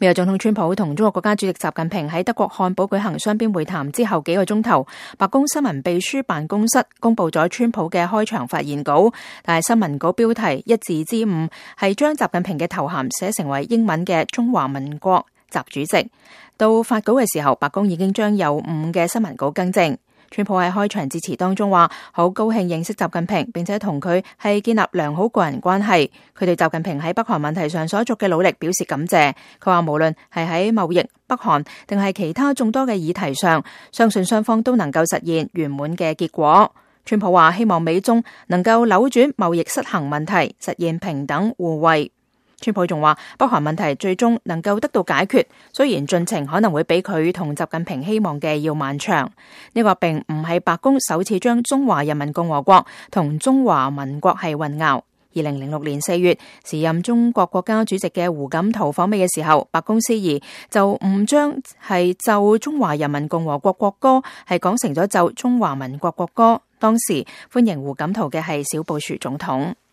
美國總統川普同中國國家主席習近平喺德國漢堡舉行雙邊會談之後幾個鐘頭，白宮新聞秘書辦公室公布咗川普嘅開場發言稿，但係新聞稿標題一字之誤，係將習近平嘅頭銜寫成為英文嘅中華民國習主席。到發稿嘅時候，白宮已經將有誤嘅新聞稿更正。川普喺開場致辭當中話，好高興認識習近平，並且同佢係建立良好個人關係。佢對習近平喺北韓問題上所作嘅努力表示感謝。佢話無論係喺貿易、北韓定係其他眾多嘅議題上，相信雙方都能夠實現圓滿嘅結果。川普話希望美中能夠扭轉貿易失衡問題，實現平等互惠。川普仲話北韓問題最終能夠得到解決，雖然進程可能會比佢同習近平希望嘅要漫長。呢個並唔係白宮首次將中華人民共和國同中華民國係混淆。2006年4月，時任中國國家主席嘅胡錦濤訪美嘅時候，白宮司儀就誤將係就中華人民共和國國歌係講成咗就中華民國國歌。當時歡迎胡錦濤嘅係小布殊總統。